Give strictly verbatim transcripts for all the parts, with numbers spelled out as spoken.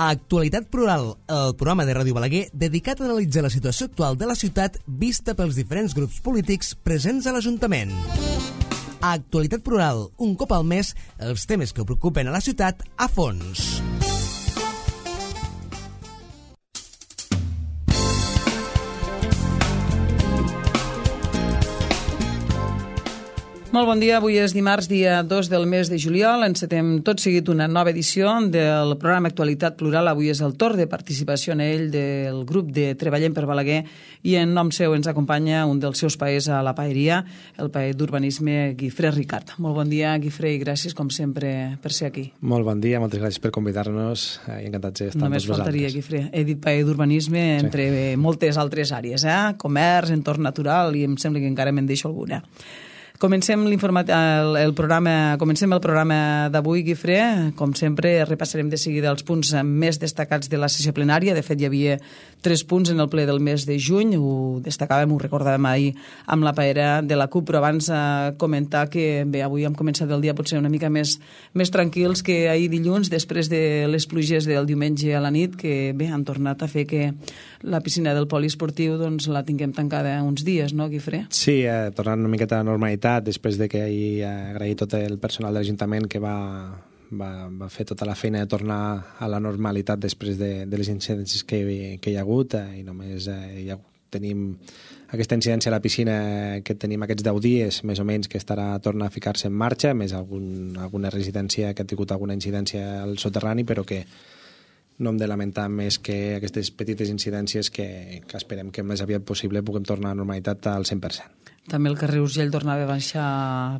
Actualitat Plural, el programa de Ràdio Balaguer dedicat a analitzar la situació actual de la ciutat vista pels diferents grups polítics presents a l'Ajuntament. Actualitat Plural, un cop al mes, els temes que preocupen a la ciutat a fons. Molt bon dia, avui és dimarts, dia dos del mes de juliol. Encetem tot seguit una nova edició del programa Actualitat Plural. Avui és el torn de participació en ell del grup de Treballem per Balaguer i en nom seu ens acompanya un dels seus paers a la paeria, el paer d'urbanisme Guifré Ricard. Molt bon dia, Guifré, i gràcies, com sempre, per ser aquí. Molt bon dia, moltes gràcies per convidar-nos i encantats d'estar amb Només vosaltres. faltaria, Guifré. He dit paer d'urbanisme entre sí. moltes altres àrees, eh? Comerç, entorn natural, i em sembla que encara me'n deixo alguna. Comencem el, el programa, comencem el programa d'avui, Guifré. Com sempre, repassarem de seguida els punts més destacats de la sessió plenària. De fet, hi havia tres punts en el ple del mes de juny. Ho destacàvem, ho recordàvem ahir amb la paera de la CUP, però abans eh, comentar que bé, avui hem començat el dia potser una mica més, més tranquils que ahir dilluns, després de les pluges del diumenge a la nit, que bé, han tornat a fer que la piscina del poliesportiu doncs, la tinguem tancada uns dies, no, Guifré? Sí, eh, tornant una miqueta a la normalitat, després de que ahir agrair tot el personal de l'Ajuntament que va, va, va fer tota la feina de tornar a la normalitat després de, de les incidències que, que hi ha hagut, eh, i només eh, hi ha, tenim aquesta incidència a la piscina que tenim aquests deu dies, més o menys, que estarà torna a ficar-se en marxa, més algun, alguna residència que ha tingut alguna incidència al soterrani, però que no hem de lamentar més que aquestes petites incidències que, que esperem que més aviat possible puguem tornar a la normalitat al cent per cent. També el carrer Urgell tornava a baixar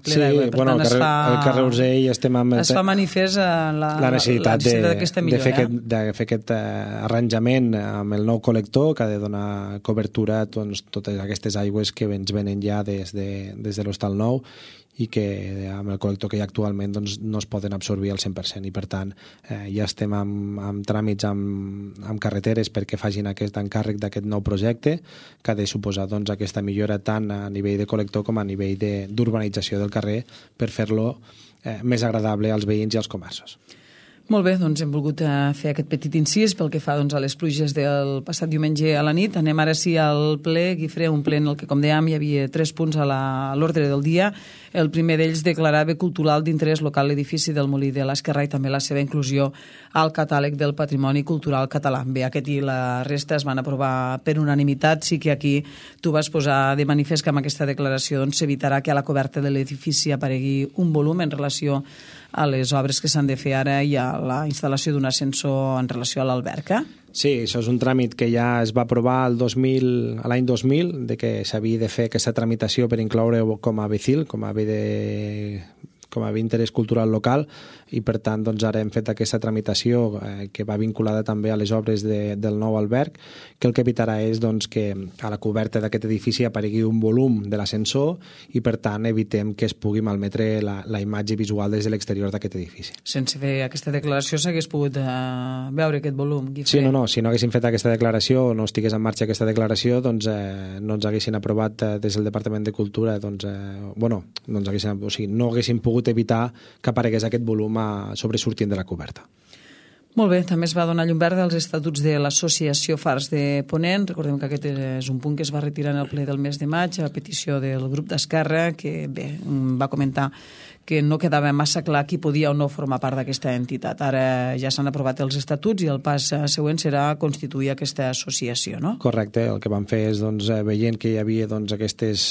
ple sí, d'aigua. Per bueno, tant, el, carrer, es fa, el carrer Urgell estem amb... Es fa manifest la, la necessitat, la necessitat de, d'aquesta de, millora. fer aquest, de fer aquest uh, arranjament amb el nou col·lector que ha de donar cobertura a doncs, totes aquestes aigües que ens venen ja des de, des de l'Hostal Nou i que amb el col·lector que hi ha actualment doncs, no es poden absorbir al cent per cent i per tant eh, ja estem amb, amb tràmits amb, amb carreteres perquè facin aquest encàrrec d'aquest nou projecte que ha de suposar doncs, aquesta millora tant a nivell de col·lector com a nivell d'urbanització del carrer per fer-lo eh, més agradable als veïns i als comerços. Molt bé, doncs hem volgut fer aquest petit incís pel que fa doncs, a les pluges del passat diumenge a la nit. Anem ara sí al ple, Guifré, un ple en el que, com dèiem, hi havia tres punts a l'ordre del dia. El primer d'ells declarava cultural d'interès local l'edifici del Molí de l'Esquerrà i també la seva inclusió al catàleg del patrimoni cultural català. Bé, aquest i la resta es van aprovar per unanimitat. Sí que aquí tu vas posar de manifest que amb aquesta declaració doncs, s'evitarà que a la coberta de l'edifici aparegui un volum en relació a les obres que s'han de fer ara i a la instal·lació d'un ascensor en relació a l'alberca? Sí, això és un tràmit que ja es va aprovar el dos mil, l'any dos mil, de que s'havia de fer aquesta tramitació per incloure com a B C I L, com a bé de com a bé d'interès cultural local, i per tant doncs, ara hem fet aquesta tramitació eh, que va vinculada també a les obres de, del nou alberg, que el que evitarà és doncs, que a la coberta d'aquest edifici aparegui un volum de l'ascensor i per tant evitem que es pugui malmetre la, la imatge visual des de l'exterior d'aquest edifici. Sense fer aquesta declaració s'hagués pogut eh, veure aquest volum, Guifré? Sí, no, no, si no haguéssim fet aquesta declaració o no estigués en marxa aquesta declaració, doncs eh, no ens haguessin aprovat eh, des del Departament de Cultura, doncs, eh, bueno, no ens haguessin, o sigui, no haguéssim pogut evitar que aparegués aquest volum a sobresortint de la coberta. Molt bé, també es va donar llum verda als estatuts de l'Associació Fars de Ponent. Recordem que aquest és un punt que es va retirar en el ple del mes de maig a petició del grup d'Esquerra, que bé, va comentar que no quedava massa clar qui podia o no formar part d'aquesta entitat. Ara ja s'han aprovat els estatuts i el pas següent serà constituir aquesta associació, no? Correcte, el que vam fer és, doncs, veient que hi havia doncs, aquests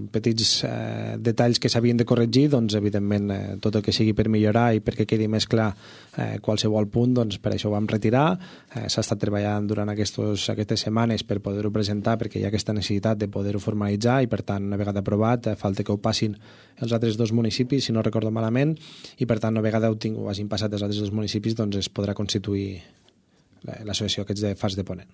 petits eh, detalls que s'havien de corregir, doncs, evidentment, eh, tot el que sigui per millorar i perquè quedi més clar eh, qualsevol punt, doncs, per això ho vam retirar. Eh, s'ha estat treballant durant aquestos, aquestes setmanes per poder-ho presentar, perquè hi ha aquesta necessitat de poder-ho formalitzar i, per tant, una vegada aprovat, eh, falta que ho passin els altres dos municipis, si no recordo malament, i per tant, una vegada ho, tinc, ho hagin passat els altres dos municipis, doncs es podrà constituir l'associació aquests de Fars de Ponent.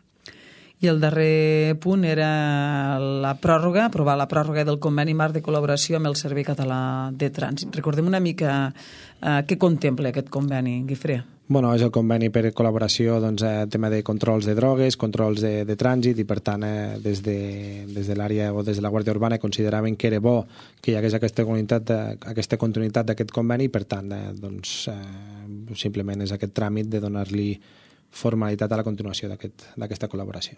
I el darrer punt era la pròrroga, aprovar la pròrroga del conveni marc de col·laboració amb el Servei Català de Trànsit. Recordem una mica eh, què contempla aquest conveni, Guifré. Bueno, és el conveni per col·laboració, doncs, eh, tema de controls de drogues, controls de, de trànsit, i per tant, eh, des de, des de l'àrea o des de la Guàrdia Urbana consideraven que era bo que hi hagués aquesta continuïtat, aquesta continuïtat d'aquest conveni, i per tant, eh, doncs, eh, simplement és aquest tràmit de donar-li formalitat a la continuació d'aquesta col·laboració.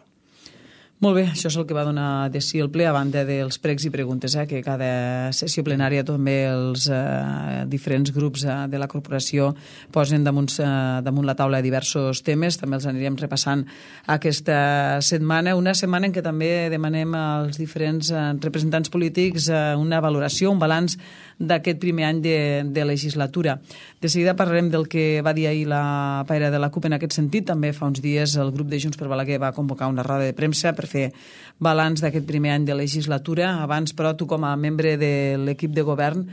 Molt bé, això és el que va donar de si el ple, a banda dels pregs i preguntes, eh, que cada sessió plenària també els eh, diferents grups eh, de la corporació posen damunt, eh, damunt la taula diversos temes, també els anirem repassant aquesta setmana, una setmana en què també demanem als diferents eh, representants polítics eh, una valoració, un balanç d'aquest primer any de, de legislatura. De seguida parlarem del que va dir ahir la paira de la CUP en aquest sentit. També fa uns dies el grup de Junts per Balaguer va convocar una roda de premsa per fer balanç d'aquest primer any de legislatura. Abans, però, tu com a membre de l'equip de govern,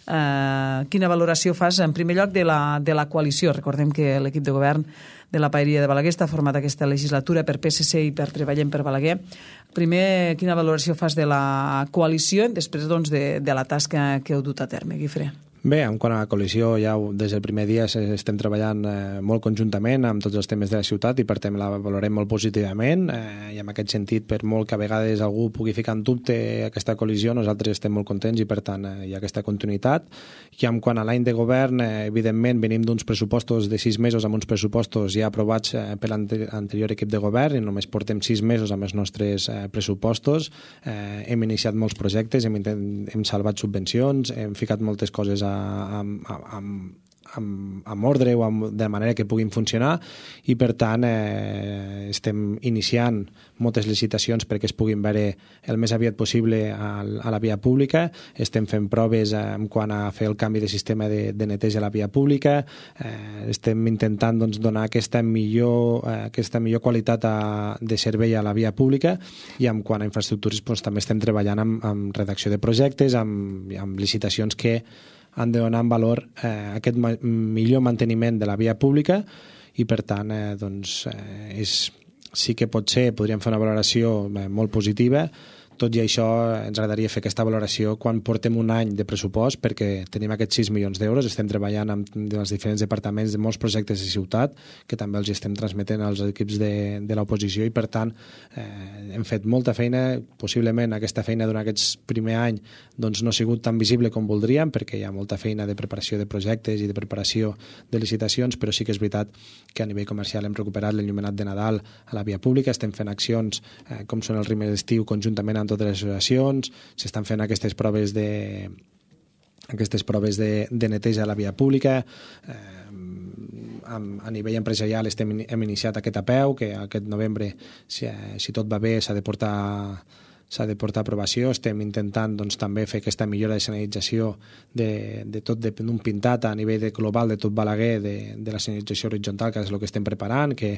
eh, quina valoració fas, en primer lloc, de la, de la coalició? Recordem que l'equip de govern de la Paeria de Balaguer està format aquesta legislatura per P S C i per Treballem per Balaguer. Primer, quina valoració fas de la coalició i després doncs, de, de la tasca que heu dut a terme, Guifré? Bé, en quant a la coalició, ja des del primer dia estem treballant eh, molt conjuntament amb tots els temes de la ciutat i per tant la valorem molt positivament eh, i en aquest sentit, per molt que a vegades algú pugui ficar en dubte aquesta coalició, nosaltres estem molt contents i per tant eh, hi ha aquesta continuïtat. I en quant a l'any de govern, eh, evidentment venim d'uns pressupostos de sis mesos amb uns pressupostos ja aprovats eh, per l'anterior equip de govern i només portem sis mesos amb els nostres eh, pressupostos. Eh, hem iniciat molts projectes, hem, hem salvat subvencions, hem ficat moltes coses a amb, amb, amb, amb ordre o amb, de manera que puguin funcionar i per tant eh, estem iniciant moltes licitacions perquè es puguin veure el més aviat possible a, a la via pública. Estem fent proves eh, en quant a fer el canvi de sistema de, de neteja a la via pública. Eh, estem intentant doncs, donar aquesta millor, eh, aquesta millor qualitat a, de servei a la via pública i en quant a infraestructures doncs, també estem treballant amb, amb redacció de projectes, amb, amb licitacions que han de donar en valor eh, aquest ma millor manteniment de la via pública i per tant eh, doncs, eh, és, sí que pot ser, podríem fer una valoració eh, molt positiva. Tot i això ens agradaria fer aquesta valoració quan portem un any de pressupost perquè tenim aquests sis milions d'euros, estem treballant amb els diferents departaments de molts projectes de ciutat que també els estem transmetent als equips de, de l'oposició i per tant eh, hem fet molta feina, possiblement aquesta feina durant aquest primer any doncs, no ha sigut tan visible com voldríem perquè hi ha molta feina de preparació de projectes i de preparació de licitacions, però sí que és veritat que a nivell comercial hem recuperat l'enllumenat de Nadal a la via pública, estem fent accions eh, com són els rimes d'estiu conjuntament amb totes les associacions, s'estan fent aquestes proves de aquestes proves de, de neteja a la via pública. Eh, a nivell empresarial estem, hem iniciat aquest A P E U, que aquest novembre, si, si tot va bé, s'ha de portar s'ha de portar a aprovació. Estem intentant doncs, també fer aquesta millora de senyalització de, de tot d'un pintat a nivell de global de tot Balaguer, de, de la senyalització horitzontal, que és el que estem preparant, que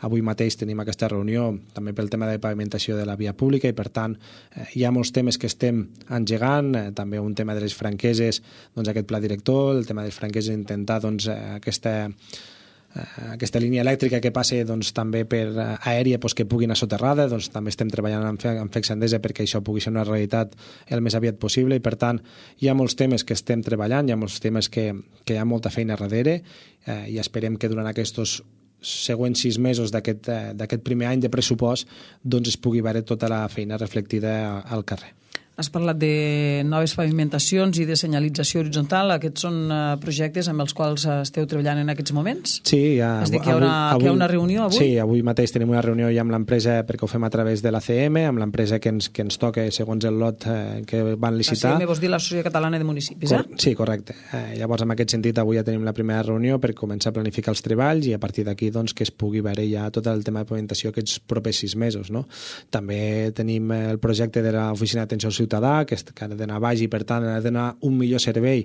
avui mateix tenim aquesta reunió també pel tema de pavimentació de la via pública i per tant eh, hi ha molts temes que estem engegant, eh, també un tema de les franqueses, doncs aquest pla director, el tema de les franqueses, intentar doncs, aquesta aquesta línia elèctrica que passa doncs, també per aèria doncs, que pugui anar soterrada, doncs, també estem treballant amb, amb F E C Endesa perquè això pugui ser una realitat el més aviat possible i per tant hi ha molts temes que estem treballant, hi ha molts temes que, que hi ha molta feina darrere eh, i esperem que durant aquests següents sis mesos d'aquest eh, primer any de pressupost doncs es pugui veure tota la feina reflectida al carrer. Has parlat de noves pavimentacions i de senyalització horitzontal. Aquests són uh, projectes amb els quals uh, esteu treballant en aquests moments? Sí. Ja, és dir, que hi ha, una, avui, que hi ha una reunió avui? Sí, avui mateix tenim una reunió ja amb l'empresa perquè ho fem a través de l'A C M, amb l'empresa que ens, que ens toca segons el lot eh, que van licitar. L'A C M vols dir l'Associació Catalana de Municipis, eh? Cor sí, correcte. Eh, llavors, en aquest sentit, avui ja tenim la primera reunió per començar a planificar els treballs i a partir d'aquí doncs, que es pugui veure ja tot el tema de pavimentació aquests propers sis mesos. No? També tenim el projecte de l'Oficina d'Atenció al Ciutadà, que ha d'anar baix i per tant ha de donar un millor servei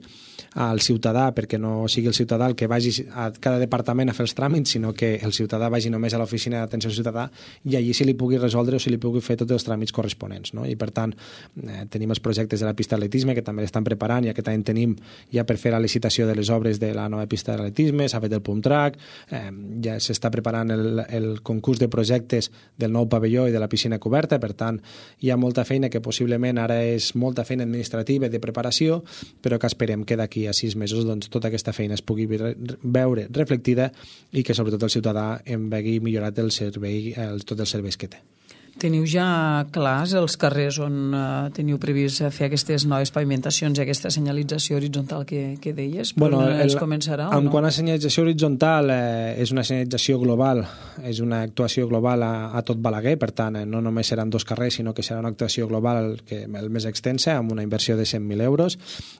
al ciutadà perquè no sigui el ciutadà el que vagi a cada departament a fer els tràmits, sinó que el ciutadà vagi només a l'oficina d'atenció al ciutadà i allí se li pugui resoldre o se li pugui fer tots els tràmits corresponents. No? I per tant eh, tenim els projectes de la pista d'atletisme que també l'estan preparant i aquest any tenim ja per fer la licitació de les obres de la nova pista d'atletisme, s'ha fet el pump track, eh, ja s'està preparant el, el concurs de projectes del nou pavelló i de la piscina coberta, per tant hi ha molta feina que possiblement ara és molta feina administrativa i de preparació, però que esperem que d'aquí a sis mesos doncs, tota aquesta feina es pugui veure reflectida i que sobretot el ciutadà en vegi millorat el servei, el, tots els serveis que té. Teniu ja clars els carrers on uh, teniu previst fer aquestes noves pavimentacions i aquesta senyalització horitzontal que, que deies? Bueno, el, es el, començarà en o no? quant a senyalització horitzontal, eh, és una senyalització global, és una actuació global a, a tot Balaguer, per tant, eh, no només seran dos carrers, sinó que serà una actuació global que, el més extensa, amb una inversió de cent mil euros.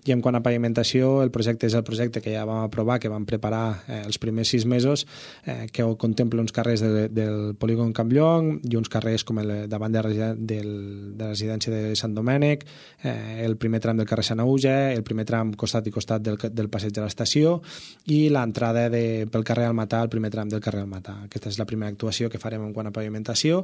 I en quant a pavimentació, el projecte és el projecte que ja vam aprovar, que vam preparar eh, els primers sis mesos, eh, que contempla uns carrers de, del polígon Campllong i uns carrers com el davant de, del, de la residència de Sant Domènec, eh, el primer tram del carrer Sant Auge, el primer tram costat i costat del, del passeig de l'estació i l'entrada pel carrer Almatà, el primer tram del carrer Almatà. Aquesta és la primera actuació que farem en quant a pavimentació,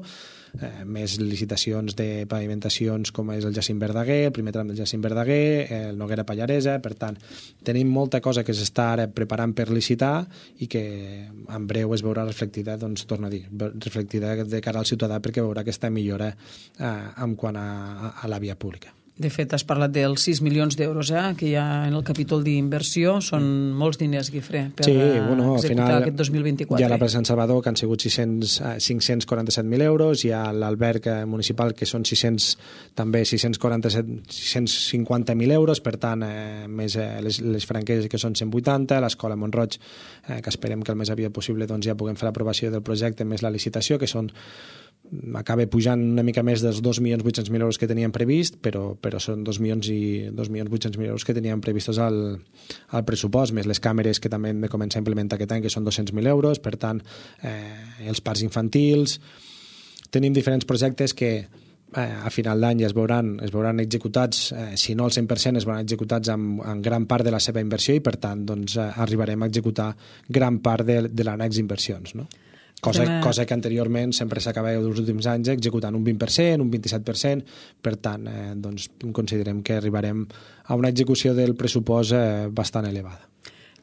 eh, més licitacions de pavimentacions com és el Jacint Verdaguer, el primer tram del Jacint Verdaguer, el Noguera Pallaresa. Per tant, tenim molta cosa que s'està ara preparant per licitar i que en breu es veurà reflectida, doncs, torno a dir, reflectida de cara al ciutadà, perquè veurà que està millora eh, en quant a, a, a la via pública. De fet, has parlat dels sis milions d'euros eh, que hi ha en el capítol d'inversió. Són molts diners, Guifré, per sí, bueno, executar final, aquest dos mil vint-i-quatre. Hi ha la plaça Sant Salvador, que han sigut cinc-cents quaranta-set mil euros, hi ha l'alberg municipal, que són sis-cents, també sis-cents quaranta-set, sis-cents cinquanta mil euros, per tant, eh, més eh, les, les franqueses, que són cent vuitanta, l'escola Montroig, eh, que esperem que el més aviat possible doncs, ja puguem fer l'aprovació del projecte, més la licitació, que són acaba pujant una mica més dels dos milions vuit-cents mil euros que teníem previst, però, però són dos milions i dos milions vuit-cents mil euros que teníem previstos al, al pressupost, més les càmeres que també hem de començar a implementar aquest any, que són dos-cents mil euros. Per tant, eh, els parcs infantils, tenim diferents projectes que eh, a final d'any ja es veuran, es veuran executats, eh, si no al cent per cent es veuran executats amb, amb gran part de la seva inversió, i per tant doncs, eh, arribarem a executar gran part de, de l'annex inversions, no? Cosa, Tema... cosa que anteriorment sempre s'acabava dels últims anys executant un vint per cent, un vint-i-set per cent. Per tant, eh, doncs, considerem que arribarem a una execució del pressupost eh, bastant elevada.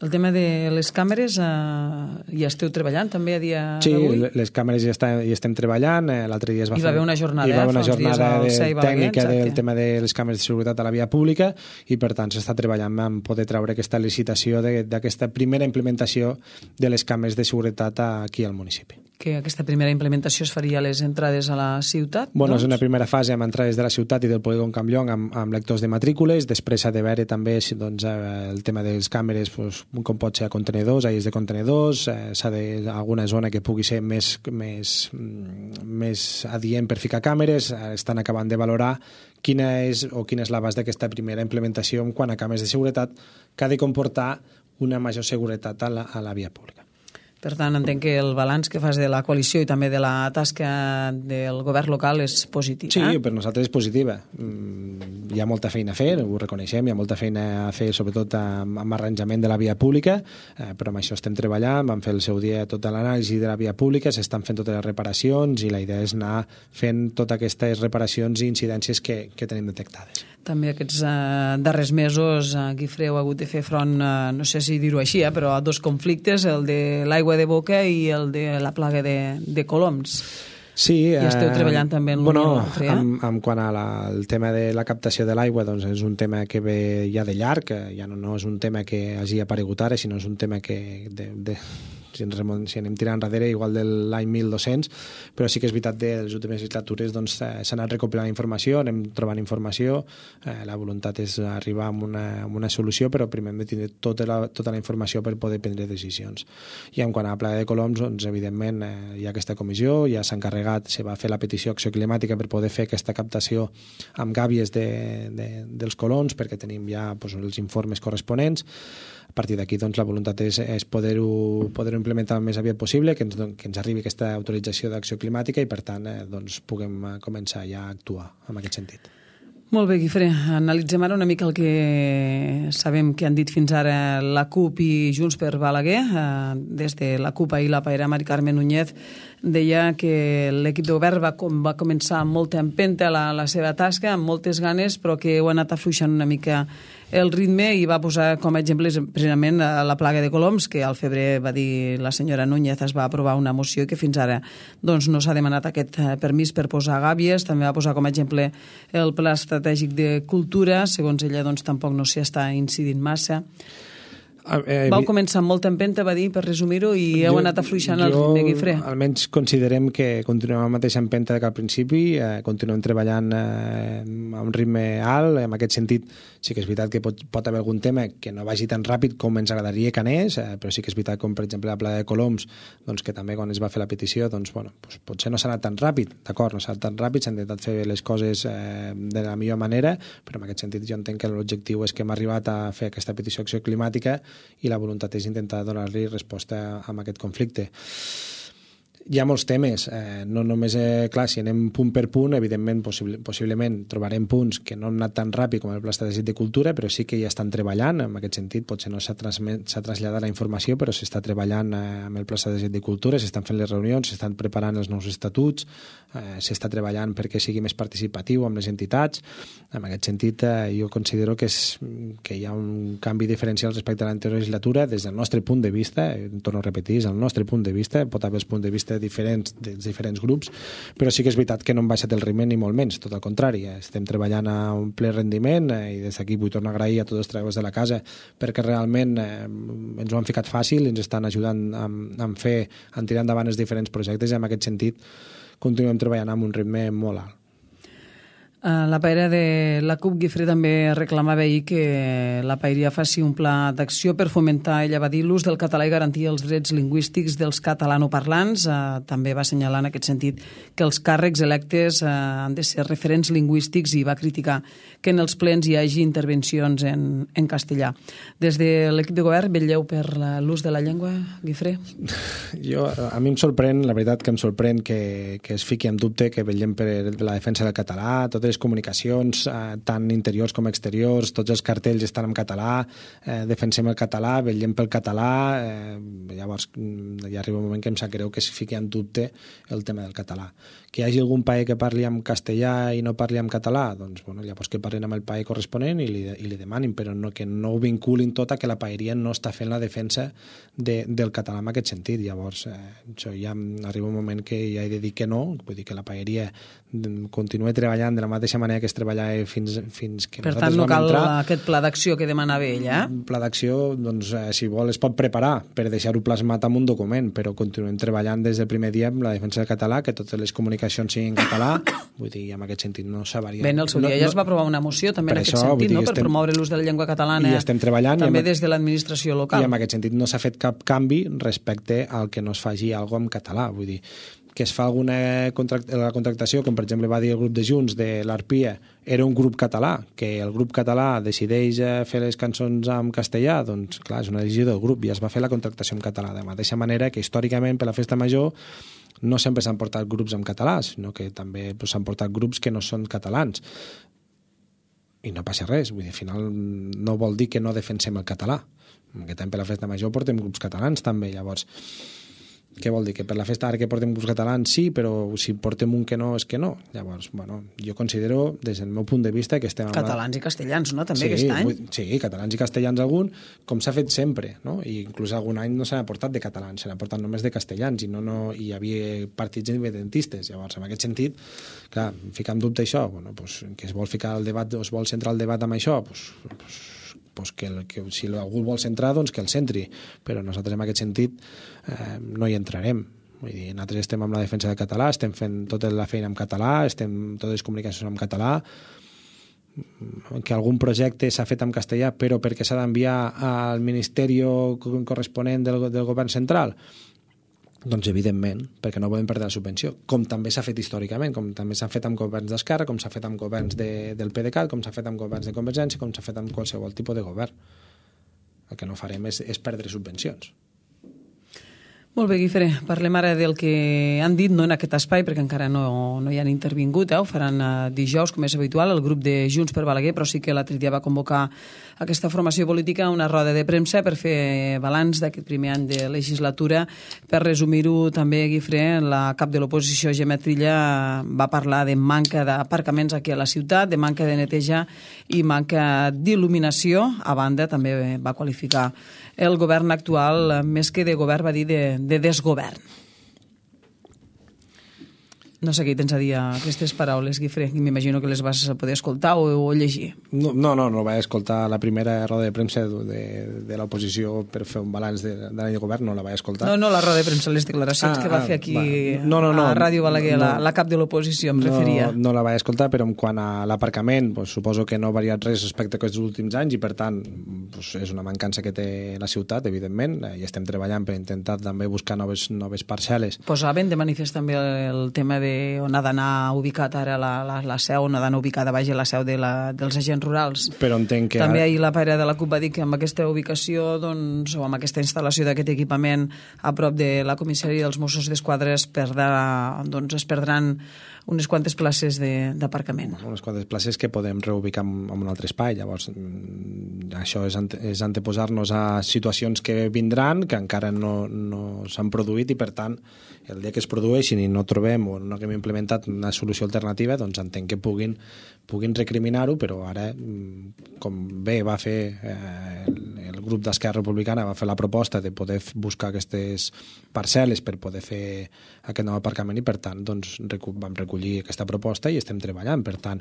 El tema de les càmeres, eh, hi esteu treballant també a dia sí, d'avui? Sí, les càmeres hi, està, hi estem treballant. Eh, L'altre dia es va hi va haver una jornada, hi va haver una jornada de, tècnica Balaguer, del tema de les càmeres de seguretat a la via pública, i per tant s'està treballant en poder treure aquesta licitació d'aquesta primera implementació de les càmeres de seguretat aquí al municipi. Que aquesta primera implementació es faria a les entrades a la ciutat? Bueno, doncs? És una primera fase amb entrades de la ciutat i del polígon Campllong amb, amb lectors de matrícules. Després s'ha de veure també doncs, el tema de les càmeres, doncs, com pot ser a contenidors, aies de contenidors, eh, s'ha de alguna zona que pugui ser més, més, més adient per ficar càmeres. Estan acabant de valorar quina és o quina és l'abast d'aquesta primera implementació en quant a càmeres de seguretat, que ha de comportar una major seguretat a la, a la via pública. Per tant, entenc que el balanç que fas de la coalició i també de la tasca del govern local és positiu. Sí, eh? per nosaltres és positiva. Hi ha molta feina a fer, ho reconeixem, hi ha molta feina a fer, sobretot amb, amb arranjament de la via pública, eh, però amb això estem treballant, vam fer el seu dia tota l'anàlisi de la via pública, s'estan fent totes les reparacions i la idea és anar fent totes aquestes reparacions i incidències que, que tenim detectades. També aquests eh, darrers mesos, eh, Guifré, heu hagut de fer front, eh, no sé si dir-ho així, eh, però a dos conflictes, el de l'aigua de boca i el de la plaga de, de coloms. Sí, I esteu treballant també en l'un bueno, i l'altre, eh? en, en quant al tema de la captació de l'aigua, doncs és un tema que ve ja de llarg, ja no, no és un tema que hagi aparegut ara, sinó és un tema que de, de, si, ens remont, si anem tirant enrere, igual de l'any mil dos-cents, però sí que és veritat que de les últimes legislatures doncs, s'ha anat recopilant informació, anem trobant informació, eh, la voluntat és arribar a una, a una solució, però primer hem de tenir tota la, tota la informació per poder prendre decisions. I en quant a la plaga de coloms, doncs, evidentment, eh, hi ha aquesta comissió, ja s'ha encarregat, se va fer la petició Acció Climàtica per poder fer aquesta captació amb gàbies de, de, dels colons, perquè tenim ja doncs, els informes corresponents. A partir d'aquí, doncs, la voluntat és, és poder-ho poder implementar el més aviat possible, que ens, que ens arribi aquesta autorització d'acció climàtica i, per tant, eh, doncs, puguem començar ja a actuar en aquest sentit. Molt bé, Guifré. Analitzem ara una mica el que sabem que han dit fins ara la CUP i Junts per Balaguer. Des de la CUP ahir la pairà Mari Carmen Núñez deia que l'equip de govern va, com, va començar amb molta empenta la, la seva tasca, amb moltes ganes, però que ho ha anat afluixant una mica el ritme i va posar com a exemples precisament la plaga de coloms, que al febrer va dir la senyora Núñez, es va aprovar una moció i que fins ara doncs, no s'ha demanat aquest permís per posar gàbies. També va posar com a exemple el Pla Estratègic de Cultura, segons ella doncs, tampoc no s'hi està incidint massa. Eh, Vau començar amb molta empenta, va dir, per resumir-ho, i heu jo, anat afluixant el ritme, Guifré. Almenys considerem que continuem amb la mateixa empenta que al principi, eh, continuem treballant eh, a un ritme alt, en aquest sentit sí que és veritat que pot, pot haver algun tema que no vagi tan ràpid com ens agradaria que anés, eh, però sí que és veritat com per exemple la Playa de Coloms, doncs, que també quan es va fer la petició doncs, bueno, doncs, potser no s'ha anat tan ràpid, d'acord, no s'ha anat tan ràpid, s'ha intentat fer les coses eh, de la millor manera, però en aquest sentit jo entenc que l'objectiu és que hem arribat a fer aquesta petició d'acció climàtica i la voluntat és intentar donar-li resposta a aquest conflicte. Hi ha molts temes, eh, no només, eh, clar, si anem punt per punt, evidentment, possible, possiblement trobarem punts que no han anat tan ràpid com el Pla Estratègic de Cultura, però sí que ja estan treballant, en aquest sentit, potser no s'ha traslladat la informació, però s'està treballant eh, amb el Pla Estratègic de Cultura, s'estan fent les reunions, s'estan preparant els nous estatuts, eh, s'està treballant perquè sigui més participatiu amb les entitats. En aquest sentit, eh, jo considero que, és, que hi ha un canvi diferencial respecte a l'anterior legislatura, des del nostre punt de vista, eh, torno a repetir, és el nostre punt de vista, pot haver els punts de vista diferents dels diferents grups, però sí que és veritat que no hem baixat el ritme ni molt menys, tot al contrari, estem treballant a un ple rendiment eh, i des d'aquí vull tornar a agrair a tots els treballadors de la casa perquè realment eh, ens ho han ficat fàcil, ens estan ajudant a, a fer, a tirar endavant els diferents projectes i en aquest sentit continuem treballant amb un ritme molt alt. La paella de la C U P, Guifré, també reclamava ahir que la paella faci un pla d'acció per fomentar, ella va dir, l'ús del català i garantir els drets lingüístics dels catalanoparlants. Eh, també va assenyalar en aquest sentit que els càrrecs electes eh, han de ser referents lingüístics i va criticar que en els plens hi hagi intervencions en, en castellà. Des de l'equip de govern vetlleu per l'ús de la llengua, Guifré? Jo, a mi em sorprèn, la veritat que em sorprèn que, que es fiqui en dubte que vetllem per la defensa del català, totes les comunicacions, eh, tant interiors com exteriors, tots els cartells estan en català, eh, defensem el català, vetllem pel català, eh, llavors ja arriba un moment que em sap greu que es fiqui en dubte el tema del català. Que hi hagi algun país que parli en castellà i no parli en català, doncs bueno, llavors que parlin amb el país corresponent i li, i li demanin, però no, que no ho vinculin tot a que la paeria no està fent la defensa de, del català en aquest sentit. Llavors, eh, això ja arriba un moment que ja he de dir que no, vull dir que la paeria continua treballant de la mateixa manera que es treballava fins, fins que per nosaltres tant, no vam cal entrar. Aquest pla d'acció que demanava ella. Eh? Un pla d'acció, doncs, eh, si vol, es pot preparar per deixar-ho plasmat en un document, però continuem treballant des del primer dia amb la defensa del català, que totes les comunicacions siguin en català, vull dir, en aquest sentit no s'ha variat. Bé, en el seu dia no, ja es va aprovar una moció també en aquest això, sentit, no? Per estem, promoure l'ús de la llengua catalana i estem treballant, també i amb, des de l'administració local. I en aquest sentit no s'ha fet cap canvi respecte al que no es faci alguna cosa en català, vull dir, que es fa alguna contract la contractació, com per exemple va dir el grup de Junts de l'Arpia, era un grup català, que el grup català decideix fer les cançons en castellà, doncs clar, és una decisió del grup i es va fer la contractació en català, de la mateixa manera que històricament per la festa major no sempre s'han portat grups en català, sinó que també s'han portat grups que no són catalans. I no passa res, vull dir, al final no vol dir que no defensem el català. Aquest any per la festa major portem grups catalans també, llavors què vol dir? Que per la festa ara que portem grups catalans sí, però si portem un que no és que no. Llavors, bueno, jo considero des del meu punt de vista que estem... Catalans la... i castellans, no? També sí, aquest any? Vull... Sí, catalans i castellans algun, com s'ha fet sempre, no? I inclús algun any no s'ha portat de catalans, s'ha portat només de castellans i no, no hi havia partits independentistes. Llavors, en aquest sentit, clar, ficar en dubte això, bueno, pues, que es vol ficar el debat, o es vol centrar el debat amb això, pues, pues, pues que, el, que si algú el vol centrar, doncs que el centri, però nosaltres en aquest sentit eh, no hi entrarem. Vull dir, nosaltres estem amb la defensa del català, estem fent tota la feina en català, estem totes les comunicacions en català, que algun projecte s'ha fet en castellà però perquè s'ha d'enviar al ministeri corresponent del, del govern central, doncs evidentment, perquè no podem perdre la subvenció, com també s'ha fet històricament, com també s'ha fet amb governs d'Esquerra, com s'ha fet amb governs de, del PDeCAT, com s'ha fet amb governs de Convergència, com s'ha fet amb qualsevol tipus de govern. El que no farem és, és perdre subvencions. Molt bé, Guifré, parlem ara del que han dit, no en aquest espai, perquè encara no, no hi han intervingut, eh? Ho faran uh, dijous, com és habitual, el grup de Junts per Balaguer, però sí que l'altre dia va convocar aquesta formació política a una roda de premsa per fer balanç d'aquest primer any de legislatura. Per resumir-ho també, Guifré, la cap de l'oposició, Gemma Trilla, va parlar de manca d'aparcaments aquí a la ciutat, de manca de neteja i manca d'il·luminació. A banda, també va qualificar el govern actual, més que de govern, va dir de, de desgovern. No sé què tens a dir a aquestes paraules, Guifré. M'imagino que les vas poder escoltar o, o llegir. No, no, no, no vaig escoltar la primera roda de premsa de, de l'oposició per fer un balanç de, de l'any de govern, no la vaig escoltar. No, no, la roda de premsa, les declaracions ah, que va fer aquí va. no, no, no, a Ràdio Balaguer, no, la, la cap de l'oposició, em no, referia. No la vaig escoltar, però en quant a l'aparcament, pues, suposo que no ha variat res respecte a aquests últims anys i, per tant, pues, és una mancança que té la ciutat, evidentment, i estem treballant per intentar també buscar noves, noves parcel·les. Posaven de manifest també el tema de on ha d'anar ubicat ara la, la, la seu, on ha d'anar ubicada vaja la seu de la, dels agents rurals. Però entenc que... També ahir la pare de la CUP va dir que amb aquesta ubicació doncs, o amb aquesta instal·lació d'aquest equipament a prop de la comissaria dels Mossos d'Esquadra es, perdrà, doncs, es perdran unes quantes places d'aparcament. Unes quantes places que podem reubicar en, en un altre espai. Llavors, això és, ante, és anteposar-nos a situacions que vindran, que encara no, no s'han produït i, per tant, el dia que es produeixin i no trobem o no haguem implementat una solució alternativa, doncs entenc que puguin, puguin recriminar-ho, però ara, com bé va fer eh, el, el grup d'Esquerra Republicana, va fer la proposta de poder buscar aquestes parcel·les per poder fer aquest nou aparcament i, per tant, doncs, vam recollir aquesta proposta i estem treballant. Per tant,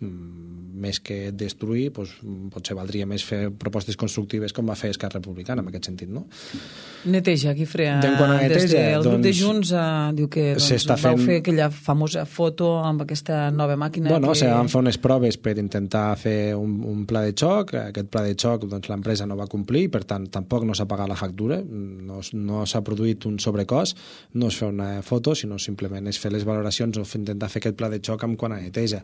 més que destruir, doncs, potser valdria més fer propostes constructives com va fer Esquerra Republicana, en aquest sentit, no? Neteja, Guifré. Neteja, des del grup doncs, de Junts eh, diu que doncs, vau fent... fer aquella famosa foto amb aquesta nova màquina. Bueno, que... se van fer unes proves per intentar fer un, un pla de xoc. Aquest pla de xoc doncs, l'empresa no va complir, per tant, tampoc no s'ha pagat la factura, no, no s'ha produït un sobrecost, no és fer una foto, sinó simplement és fer les valoracions o intentar fer aquest pla de xoc amb quant a neteja.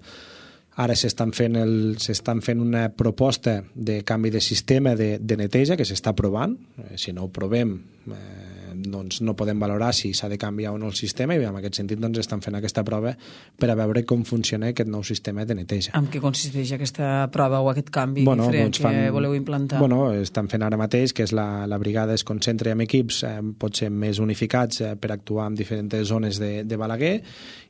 Ara s'estan fent, el, s'estan fent una proposta de canvi de sistema de, de neteja que s'està provant. Eh, si no ho provem, eh, doncs no podem valorar si s'ha de canviar o no el sistema i en aquest sentit doncs, estan fent aquesta prova per a veure com funciona aquest nou sistema de neteja. En què consisteix aquesta prova o aquest canvi bueno, diferent doncs que fan, voleu implantar? Bueno, estan fent ara mateix que és la, la brigada es concentra en equips eh, potser més unificats eh, per actuar en diferents zones de, de Balaguer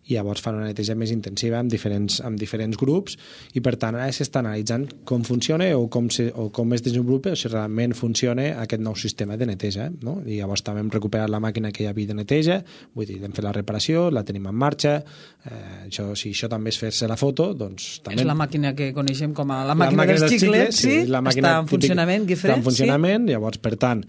i llavors fan una neteja més intensiva amb diferents, amb diferents grups i per tant ara s'està analitzant com funciona o com, se, o com es desenvolupa o si realment funciona aquest nou sistema de neteja, no? I llavors també hem recuperat la màquina que hi havia de neteja, vull dir, hem fet la reparació, la tenim en marxa, eh, això, si això també és fer-se la foto, doncs també... És la màquina que coneixem com a la màquina, la màquina dels xiclets, sí, sí, la màquina està en funcionament, Guifré? Està en funcionament, sí? Llavors, per tant,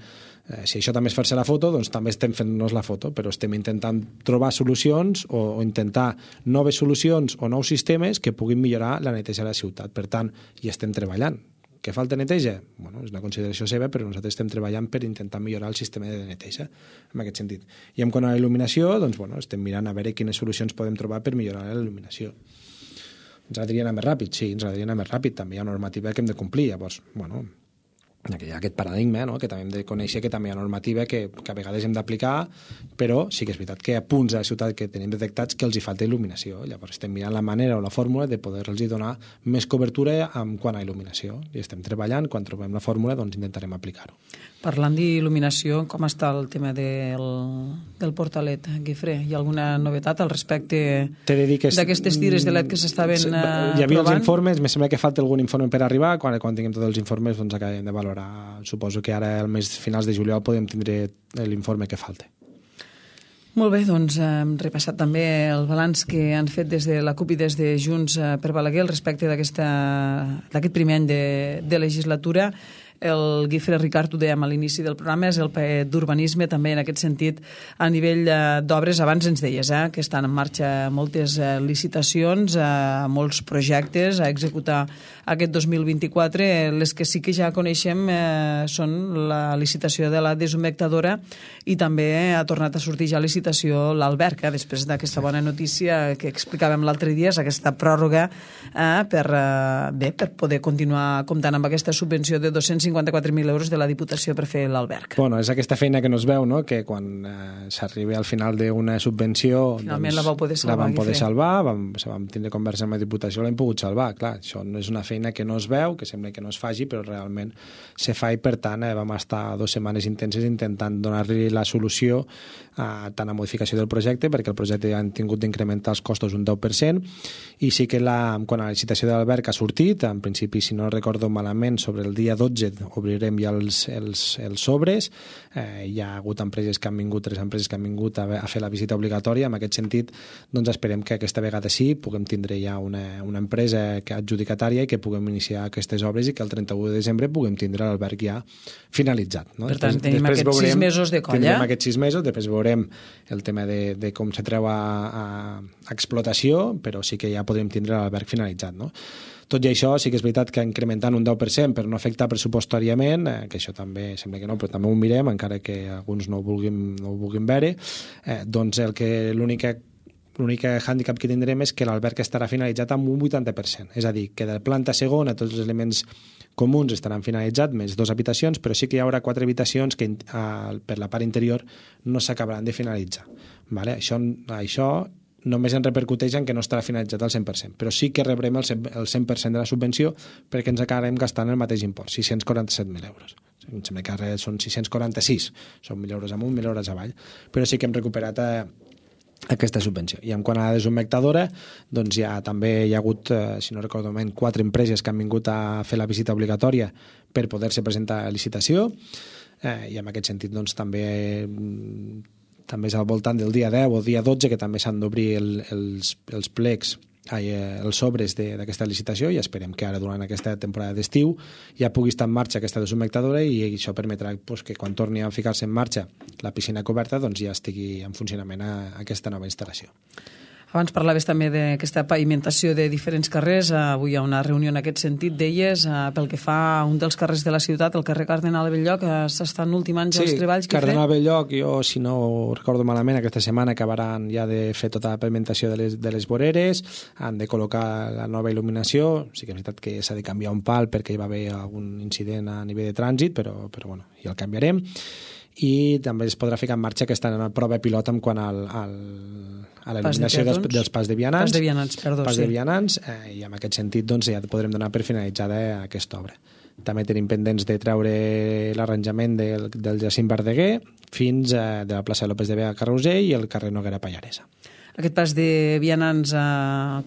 Eh, si això també és fer-se la foto, doncs també estem fent-nos la foto, però estem intentant trobar solucions o, o intentar noves solucions o nous sistemes que puguin millorar la neteja de la ciutat. Per tant, hi estem treballant. Què falta neteja? Bueno, és una consideració seva, però nosaltres estem treballant per intentar millorar el sistema de neteja, en aquest sentit. I en quant a la il·luminació, doncs, bueno, estem mirant a veure quines solucions podem trobar per millorar la il·luminació. Ens agradaria anar més ràpid? Sí, ens agradaria anar més ràpid. També hi ha una normativa que hem de complir. Llavors, bueno, hi ha aquest paradigma, no? Que també hem de conèixer que també hi ha normativa que, que a vegades hem d'aplicar, però sí que és veritat que hi ha punts a la ciutat que tenim detectats que els hi falta il·luminació. Llavors estem mirant la manera o la fórmula de poder-los donar més cobertura en quant a il·luminació. I estem treballant, quan trobem la fórmula doncs intentarem aplicar-ho. Parlant d'il·luminació, com està el tema del, del portalet, Guifré? Hi ha alguna novetat al respecte d'aquestes tires de L E D que s'estaven uh, provant? Hi havia els informes, me sembla que falta algun informe per arribar, quan, quan tinguem tots els informes doncs acabem de valorar. Suposo que ara al mes finals de juliol podem tindre l'informe que falta. Molt bé, doncs hem repassat també el balanç que han fet des de la CUP i des de Junts per Balaguer al respecte d'aquest primer any de, de legislatura. El Guifré Ricart, ho dèiem a l'inici del programa, és el paet d'urbanisme, també en aquest sentit a nivell d'obres. Abans ens deies eh, que estan en marxa moltes eh, licitacions, eh, molts projectes a executar aquest dos mil vint-i-quatre. Les que sí que ja coneixem eh, són la licitació de la deshumectadora i també ha tornat a sortir ja a licitació l'Alberca, després d'aquesta bona notícia que explicàvem l'altre dia, és aquesta pròrroga eh, per, eh, bé, per poder continuar comptant amb aquesta subvenció de dos-cents cinquanta-quatre mil euros de la Diputació per fer l'Alberca. Bueno, és aquesta feina que no es veu, no? Que quan eh, s'arriba al final d'una subvenció... Finalment doncs, la vau poder salvar. La vam poder salvar, vam, vam tindre conversa amb la Diputació, l'hem pogut salvar. Clar, això no és una feina que no es veu, que sembla que no es faci, però realment se fa i, per tant, eh, vam estar dues setmanes intenses intentant donar-li la solució a tant a modificació del projecte, perquè el projecte han tingut d'incrementar els costos un deu per cent, i sí que la, quan la licitació de l'Alberca ha sortit, en principi, si no recordo malament, sobre el dia dotze obrirem ja els, els, els sobres. Eh, hi ha hagut empreses que han vingut, tres empreses que han vingut a, a fer la visita obligatòria. En aquest sentit, doncs esperem que aquesta vegada sí puguem tindre ja una, una empresa que adjudicatària i que puguem iniciar aquestes obres i que el trenta-u de desembre puguem tindre l'alberg ja finalitzat. No? Per tant, després, tenim després aquests veurem, sis mesos de colla. Tindrem aquests sis mesos, després veurem el tema de, de com se treu a, a, a explotació, però sí que ja podrem tindre l'alberg finalitzat. No? Tot i això, sí que és veritat que incrementant un deu per cent per no afectar pressupostàriament, eh, que això també sembla que no, però també ho mirem, encara que alguns no ho vulguin, no ho vulguin veure, eh, doncs el que l'única l'únic hàndicap que tindrem és que l'alberg estarà finalitzat amb un vuitanta per cent. És a dir, que de planta segona tots els elements comuns estaran finalitzats, més dues habitacions, però sí que hi haurà quatre habitacions que eh, per la part interior no s'acabaran de finalitzar. Vale? Això, això només en repercuteix en que no estarà finalitzat al cent per cent, però sí que rebrem el cent per cent de la subvenció perquè ens acabarem gastant el mateix import, sis-cents quaranta-set mil euros. Em sembla que ara són sis-cents quaranta-sis, són mil euros amunt, mil euros avall, però sí que hem recuperat eh, aquesta subvenció. I en quant a la desumectadora, doncs ja també hi ha hagut, eh, si no recordo malament, quatre empreses que han vingut a fer la visita obligatòria per poder-se presentar a licitació, eh, i en aquest sentit doncs també eh, també és al voltant del dia deu o dia dotze que també s'han d'obrir el, els, els plecs, ai, els sobres d'aquesta licitació, i esperem que ara durant aquesta temporada d'estiu ja pugui estar en marxa aquesta desumectadora i això permetrà pues, que quan torni a ficar-se en marxa la piscina coberta doncs ja estigui en funcionament a, a aquesta nova instal·lació. Abans parlaves també d'aquesta pavimentació de diferents carrers. Avui hi ha una reunió en aquest sentit, deies, pel que fa a un dels carrers de la ciutat, el carrer Cardenal Belloc, s'estan ultimant ja sí, els treballs. Sí, Cardenal Belloc, jo, si no ho recordo malament, aquesta setmana acabaran ja de fer tota la pavimentació de les, de les voreres, han de col·locar la nova il·luminació, sí que és veritat que s'ha de canviar un pal perquè hi va haver algun incident a nivell de trànsit, però, però bueno, ja el canviarem. I també es podrà ficar en marxa aquesta prova pilot en quant al, al, a la il·luminació dels, dels pas de vianants, pas de vianants, perdó, pas sí. de vianants eh, i en aquest sentit doncs, ja podrem donar per finalitzada aquesta obra. També tenim pendents de treure l'arranjament del, del Jacint Verdaguer fins a de la plaça López de Vega a Carrusell i el carrer Noguera Pallaresa. Aquest pas de vianants eh,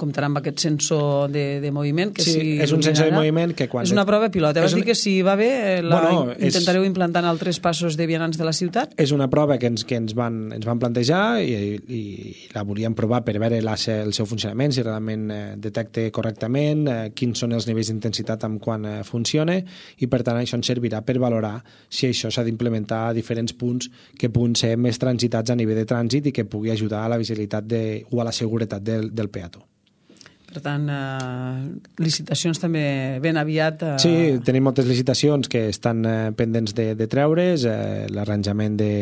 comptarà amb aquest sensor de, de moviment? Que sí, si és un sensor de moviment que quan... És una prova pilot. Vas una... dir que si va bé la bueno, intentareu és... implantar en altres passos de vianants de la ciutat? És una prova que ens, que ens, van, ens van plantejar i, i, i la volíem provar per veure la, el seu funcionament, si realment eh, detecta correctament, eh, quins són els nivells d'intensitat amb quan eh, funciona, i per tant això ens servirà per valorar si això s'ha d'implementar a diferents punts que puguin ser més transitats a nivell de trànsit i que pugui ajudar a la visibilitat de, o a la seguretat del, del peató. Per tant, eh, licitacions també ben aviat... Eh... Sí, tenim moltes licitacions que estan eh, pendents de, de treure's, eh, l'arranjament de,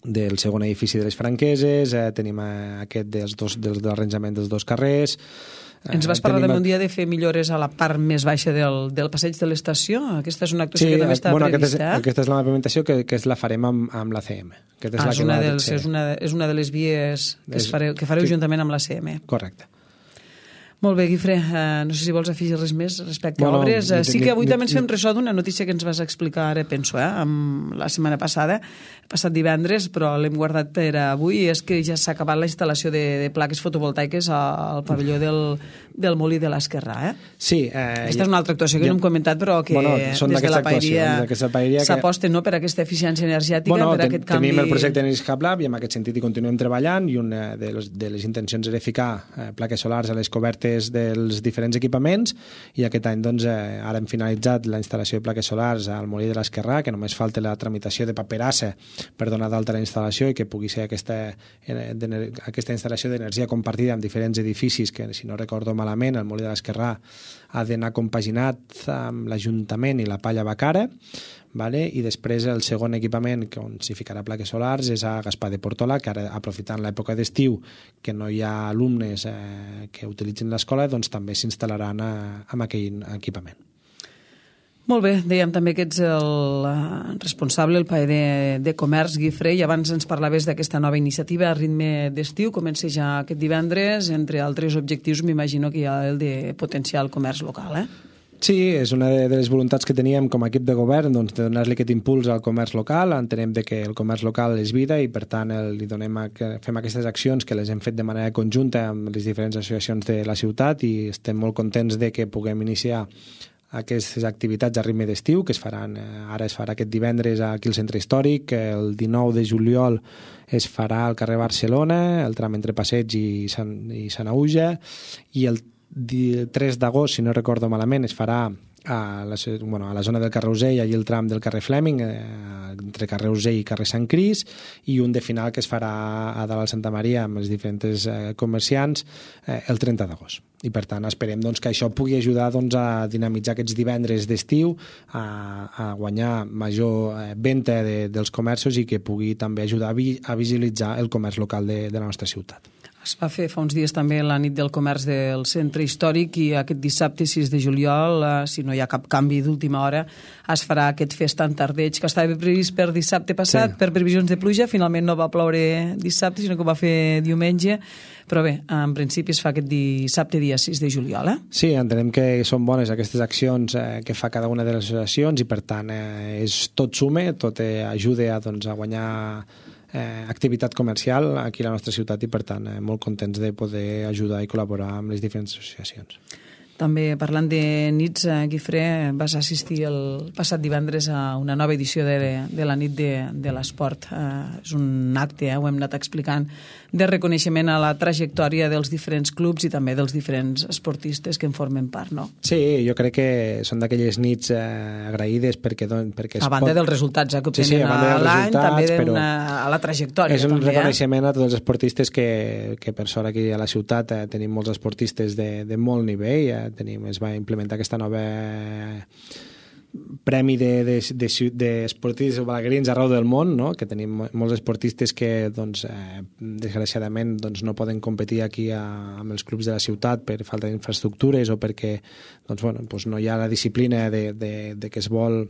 del segon edifici de les Franqueses, eh, tenim eh, aquest dels dos, dels, de l'arranjament dels dos carrers... Ens vas parlar també un dia de fer millores a la part més baixa del, del passeig de l'estació? Aquesta és una actuació sí, que també està bueno, prevista. Aquesta és, aquesta és la pavimentació que, que és la farem amb, amb l'A C M. Aquesta és, ah, la és, que una va dels, és, una, és una de les vies que, es fareu, que fareu sí. juntament amb l'A C M. Correcte. Molt bé, Guifré, uh, no sé si vols afegir res més respecte bueno, a obres. Uh, sí que avui ni, també ens fem ressò d'una notícia que ens vas explicar ara, penso, eh, amb la setmana passada, passat divendres, però l'hem guardat per avui, és que ja s'ha acabat la instal·lació de, de plaques fotovoltaiques al pavelló del, del Molí de l'Esquerrà. Eh? Sí. Eh, aquesta és una altra actuació que ja, no hem comentat, però que bueno, des de la paeria s'aposta no, per aquesta eficiència energètica, bueno, per ten, aquest canvi... Tenim el projecte Energy Hub Lab i en aquest sentit hi continuem treballant i una de les, de les intencions era ficar eh, plaques solars a les cobertes dels diferents equipaments i aquest any doncs, eh, ara hem finalitzat la instal·lació de plaques solars al Molí de l'Esquerrà, que només falta la tramitació de paperassa per donar d'alta la instal·lació i que pugui ser aquesta, eh, aquesta instal·lació d'energia compartida amb diferents edificis que, si no recordo malament, el Molí de l'Esquerrà ha d'anar compaginat amb l'Ajuntament i la Palla Bacara, vale? I després el segon equipament que on s'hi ficarà plaques solars és a Gaspar de Portola, que ara, aprofitant l'època d'estiu que no hi ha alumnes eh, que utilitzen l'escola, doncs també s'instal·laran a, amb aquell equipament. Molt bé, dèiem també que ets el responsable, el paer de, de comerç, Guifré, i abans ens parlaves d'aquesta nova iniciativa a ritme d'estiu, comença ja aquest divendres, entre altres objectius m'imagino que hi ha el de potenciar el comerç local, eh? Sí, és una de les voluntats que teníem com a equip de govern, doncs, de donar-li aquest impuls al comerç local. Entenem de que el comerç local és vida i, per tant, el, li donem a, que fem aquestes accions que les hem fet de manera conjunta amb les diferents associacions de la ciutat i estem molt contents de que puguem iniciar aquestes activitats a ritme d'estiu, que es faran, ara es farà aquest divendres aquí al Centre Històric, el dinou de juliol es farà al carrer Barcelona, el tram entre Passeig i Sant, i Sant Auja, i el tres d'agost, si no recordo malament, es farà a la, bueno, a la zona del carrer Usell, allà el tram del carrer Fleming, eh, entre carrer Usell i carrer Sant Cris, i un de final que es farà a dalt al Santa Maria amb els diferents eh, comerciants eh, el trenta d'agost. I per tant esperem doncs, que això pugui ajudar doncs, a dinamitzar aquests divendres d'estiu, a, a guanyar major eh, venda de, dels comerços i que pugui també ajudar a, vi, a visibilitzar el comerç local de, de la nostra ciutat. Es va fer fa uns dies també la nit del comerç del Centre Històric i aquest dissabte sis de juliol, eh, si no hi ha cap canvi d'última hora, es farà aquest fest tan tardeig que estava previst per dissabte passat, sí. Per previsions de pluja, finalment no va ploure dissabte, sinó que va fer diumenge, però bé, en principi es fa aquest dissabte dia sis de juliol. Eh? Sí, entenem que són bones aquestes accions eh, que fa cada una de les associacions i per tant eh, és tot sume, tot eh, ajuda a, doncs, a guanyar Eh, activitat comercial aquí a la nostra ciutat i per tant eh, molt contents de poder ajudar i col·laborar amb les diferents associacions. També parlant de nits, eh, Guifré, vas assistir el passat divendres a una nova edició de, de la nit de, de l'esport. Eh, és un acte, eh, ho hem anat explicant, de reconeixement a la trajectòria dels diferents clubs i també dels diferents esportistes que en formen part, no? Sí, jo crec que són d'aquelles nits eh, agraïdes perquè... Don, perquè a banda pot... dels resultats eh, que obtenen sí, sí, a l'any, també una, a la trajectòria. És un també, reconeixement eh? a tots els esportistes que, que per sort aquí a la ciutat eh, tenim molts esportistes de, de molt nivell, eh, tenim, es va implementar aquesta nova premi d'esportistes de, de, de balaguerins arreu del món, no? Que tenim molts esportistes que doncs, eh, desgraciadament doncs, no poden competir aquí a, amb els clubs de la ciutat per falta d'infraestructures o perquè doncs, bueno, doncs no hi ha la disciplina de, de, de, que es vol,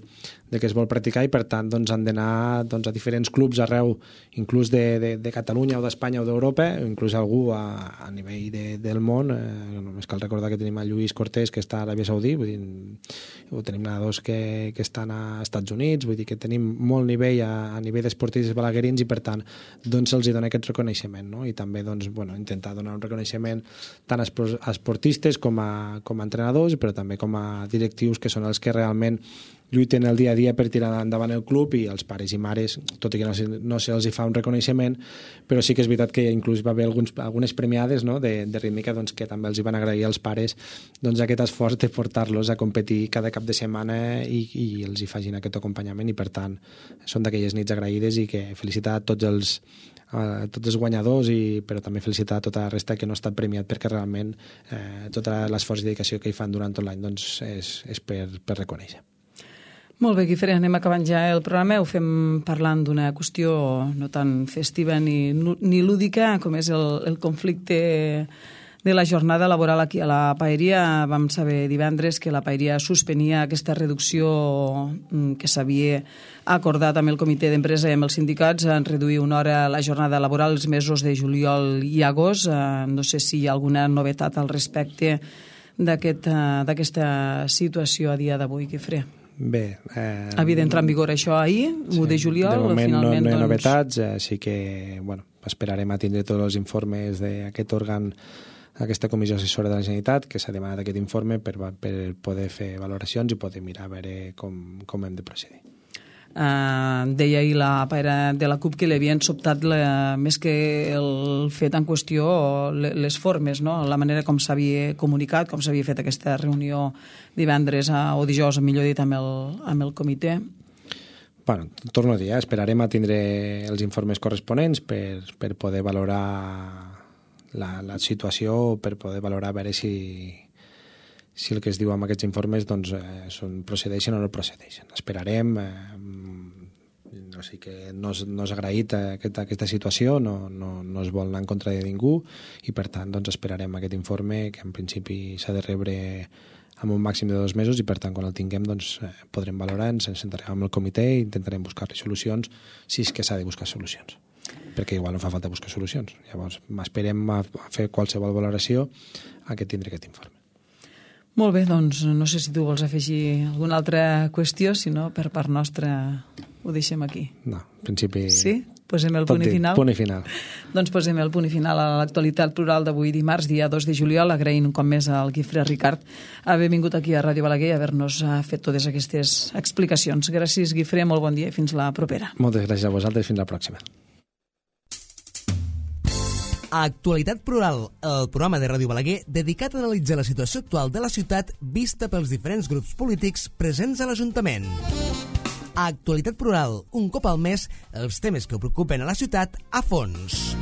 de que es vol practicar i per tant doncs, han d'anar doncs, a diferents clubs arreu, inclús de, de, de Catalunya o d'Espanya o d'Europa, o inclús algú a, a nivell de, del món. Eh, només cal recordar que tenim a Lluís Cortés, que està a l'Aràbia Saudí, vull dir, o tenim nedadors que que estan a Estats Units, vull dir que tenim molt nivell a, a nivell d'esportistes balaguerins i per tant doncs se'ls dona aquest reconeixement, no? I també doncs, bueno, intentar donar un reconeixement tant a esportistes com a, com a entrenadors però també com a directius que són els que realment lluiten el dia a dia per tirar endavant el club i els pares i mares, tot i que no, no se'ls fa un reconeixement, però sí que és veritat que inclús va haver alguns, algunes premiades no? de, de rítmica doncs, que també els hi van agrair als pares doncs, aquest esforç de portar-los a competir cada cap de setmana i, i els hi facin aquest acompanyament i per tant són d'aquelles nits agraïdes i que felicitar a tots els a tots els guanyadors i, però també felicitar a tota la resta que no ha estat premiat perquè realment eh, tot l'esforç i dedicació que hi fan durant tot l'any doncs, és, és per, per reconèixer. Molt bé, Guifré, anem acabant ja el programa. Ho fem parlant d'una qüestió no tan festiva ni, ni lúdica com és el, el conflicte de la jornada laboral aquí a la Paeria. Vam saber divendres que la Paeria suspenia aquesta reducció que s'havia acordat amb el comitè d'empresa i amb els sindicats en reduir una hora la jornada laboral els mesos de juliol i agost. No sé si hi ha alguna novetat al respecte d'aquesta aquest, situació a dia d'avui, Guifré. Bé, eh, havia d'entrar en vigor això ahir, sí, u de juliol. De moment finalment, no, no hi ha doncs... novetats, eh, sí que bueno, esperarem a tindre tots els informes d'aquest òrgan, aquesta comissió assessora de la Generalitat, que s'ha demanat aquest informe per, per poder fer valoracions i poder mirar a veure com, com hem de procedir. Uh, deia ahir la paira de la CUP que li havien sobtat la, més que el fet en qüestió les formes, no? La manera com s'havia comunicat, com s'havia fet aquesta reunió divendres a, o dijous, millor dit, amb el, amb el comitè. Bueno, torno a dir, eh? Esperarem a tindre els informes corresponents per, per poder valorar la, la situació, per poder valorar a veure si si el que es diu amb aquests informes doncs, eh, són, procedeixen o no procedeixen. Esperarem, eh, no sé que no és, no és agraït aquesta, aquesta situació, no, no, no es vol anar en contra de ningú i per tant doncs, esperarem aquest informe que en principi s'ha de rebre amb un màxim de dos mesos i per tant quan el tinguem doncs, eh, podrem valorar, ens sentarem amb el comitè i intentarem buscar-li solucions si és que s'ha de buscar solucions perquè igual no fa falta buscar solucions. Llavors esperem a fer qualsevol valoració a que tindre aquest informe. Molt bé, doncs no sé si tu vols afegir alguna altra qüestió, si no, per part nostra ho deixem aquí. No, en principi sí? Posem el punt i final. Punt i final. Doncs posem el punt i final a l'actualitat plural d'avui dimarts, dia dos de juliol, agraint un cop més al Guifré Ricard haver vingut aquí a Ràdio Balaguer i haver-nos fet totes aquestes explicacions. Gràcies, Guifré, molt bon dia i fins la propera. Moltes gràcies a vosaltres, fins la pròxima. Actualitat Plural, el programa de Ràdio Balaguer dedicat a analitzar la situació actual de la ciutat vista pels diferents grups polítics presents a l'Ajuntament. Actualitat Plural, un cop al mes, els temes que preocupen a la ciutat a fons.